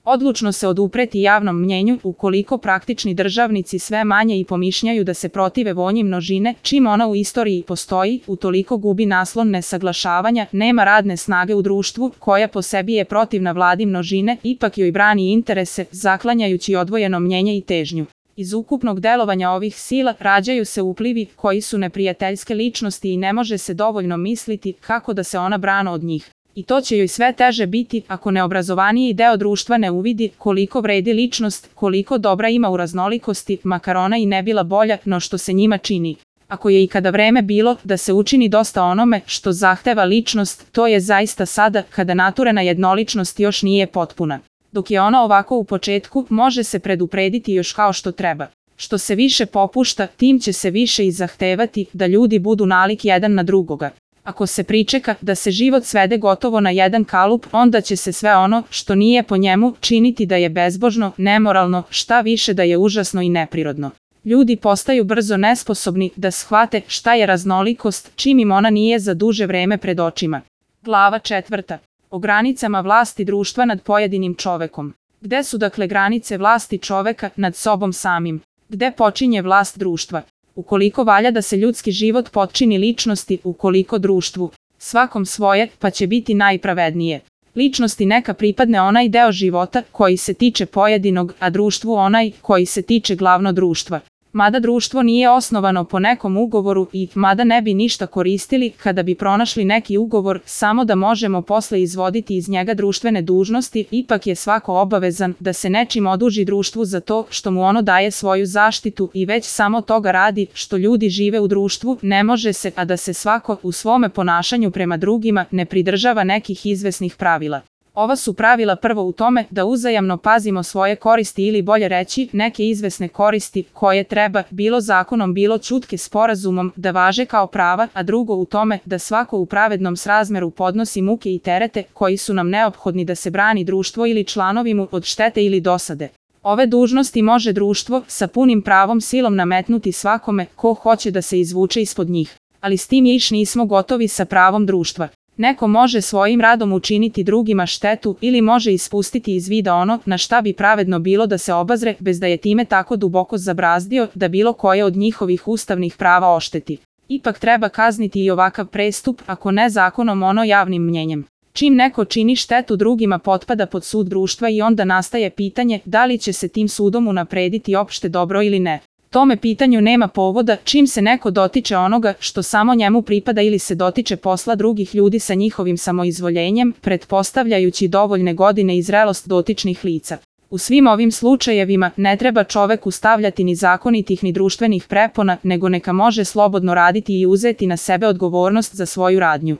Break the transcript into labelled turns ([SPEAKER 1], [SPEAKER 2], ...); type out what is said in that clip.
[SPEAKER 1] Odlučno se odupreti javnom mnjenju, ukoliko praktični državnici sve manje i pomišljaju da se protive volji množine, čim ona u istoriji postoji, utoliko gubi naslon nesaglašavanja, nema radne snage u društvu, koja po sebi je protivna vladi množine, ipak joj brani interese, zaklanjajući odvojeno mnjenje i težnju. Iz ukupnog delovanja ovih sila rađaju se uplivi koji su neprijateljske ličnosti i ne može se dovoljno misliti kako da se ona brana od njih. I to će joj sve teže biti ako neobrazovaniji deo društva ne uvidi koliko vredi ličnost, koliko dobra ima u raznolikosti, makar ona i ne bila bolja no što se njima čini. Ako je ikada vreme bilo da se učini dosta onome što zahteva ličnost, to je zaista sada kada naturena jednoličnost još nije potpuna. Dok je ona ovako u početku, može se preduprediti još kao što treba. Što se više popušta, tim će se više i zahtevati da ljudi budu nalik jedan na drugoga. Ako se pričeka da se život svede gotovo na jedan kalup, onda će se sve ono što nije po njemu činiti da je bezbožno, nemoralno, šta više da je užasno i neprirodno. Ljudi postaju brzo nesposobni da shvate šta je raznolikost, čim im ona nije za duže vreme pred očima. Glava 4. O granicama vlasti društva nad pojedinim čovekom. Gde su dakle granice vlasti čoveka nad sobom samim? Gde počinje vlast društva? Ukoliko valja da se ljudski život potčini ličnosti, ukoliko društvu, svakom svoje, pa će biti najpravednije. Ličnosti neka pripadne onaj deo života koji se tiče pojedinog, a društvu onaj koji se tiče glavno društva. Mada društvo nije osnovano po nekom ugovoru i mada ne bi ništa koristili kada bi pronašli neki ugovor, samo da možemo posle izvoditi iz njega društvene dužnosti, ipak je svako obavezan da se nečim oduži društvu za to što mu ono daje svoju zaštitu i već samo toga radi što ljudi žive u društvu, ne može se, a da se svako u svome ponašanju prema drugima ne pridržava nekih izvesnih pravila. Ova su pravila prvo u tome da uzajamno pazimo svoje koristi ili bolje reći neke izvesne koristi koje treba, bilo zakonom bilo ćutke sporazumom, da važe kao prava, a drugo u tome da svako u pravednom srazmeru podnosi muke i terete koji su nam neophodni da se brani društvo ili članovi mu od štete ili dosade. Ove dužnosti može društvo sa punim pravom silom nametnuti svakome ko hoće da se izvuče ispod njih. Ali s tim još nismo gotovi sa pravom društva. Neko može svojim radom učiniti drugima štetu ili može ispustiti iz vida ono na šta bi pravedno bilo da se obazre bez da je time tako duboko zabrazdio da bilo koje od njihovih ustavnih prava ošteti. Ipak treba kazniti i ovakav prestup, ako ne zakonom ono javnim mnjenjem. Čim neko čini štetu drugima potpada pod sud društva i onda nastaje pitanje da li će se tim sudom unaprediti opšte dobro ili ne. Tome pitanju nema povoda čim se neko dotiče onoga što samo njemu pripada ili se dotiče posla drugih ljudi sa njihovim samoizvoljenjem, pretpostavljajući dovoljne godine i zrelost dotičnih lica. U svim ovim slučajevima ne treba čoveku stavljati ni zakonitih ni društvenih prepona, nego neka može slobodno raditi i uzeti na sebe odgovornost za svoju radnju.